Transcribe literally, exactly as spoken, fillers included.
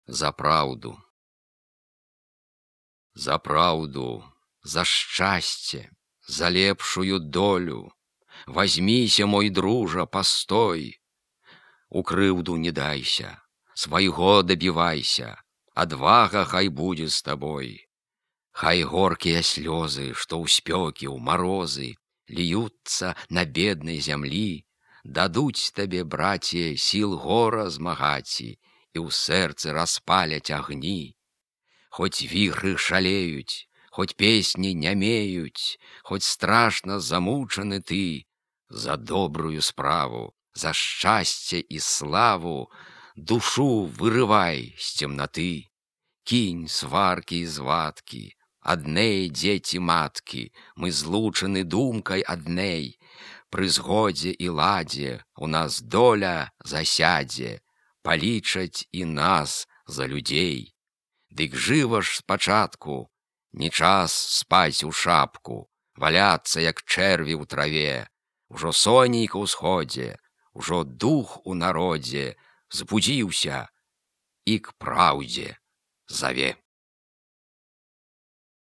За праўду. За праўду, за шчасце, за лепшую долю. Возьмися, мой дружа, постой. У крыўду не дайся, свайго дабівайся, адвага хай будзе з табой. Хай горкія слёзы, што ў спёкі, ў марозы, льюцца на беднай зямлі, дадуць табе, браце, сіл гора змагаці і ў сэрцы распаляць агні. Хоць віхры шалеюць, хоць песні нямеюць, хоць страшна замучаны ты, за добрую справу, за шчасце і славу душу вырывай з цемнаты. Кінь сваркі і звадкі, адней дзеці маткі, мы злучаны думкай адней. Пры згодзе і ладзе у нас доля засядзе, палічаць і нас за людзей. Дык жыва ж спачатку, не час спаць у шапку, валяцца, як чэрві ў траве. Ужо сонейка ўсходзе, ужо дух у народзе збудзіўся і к праўдзе заве.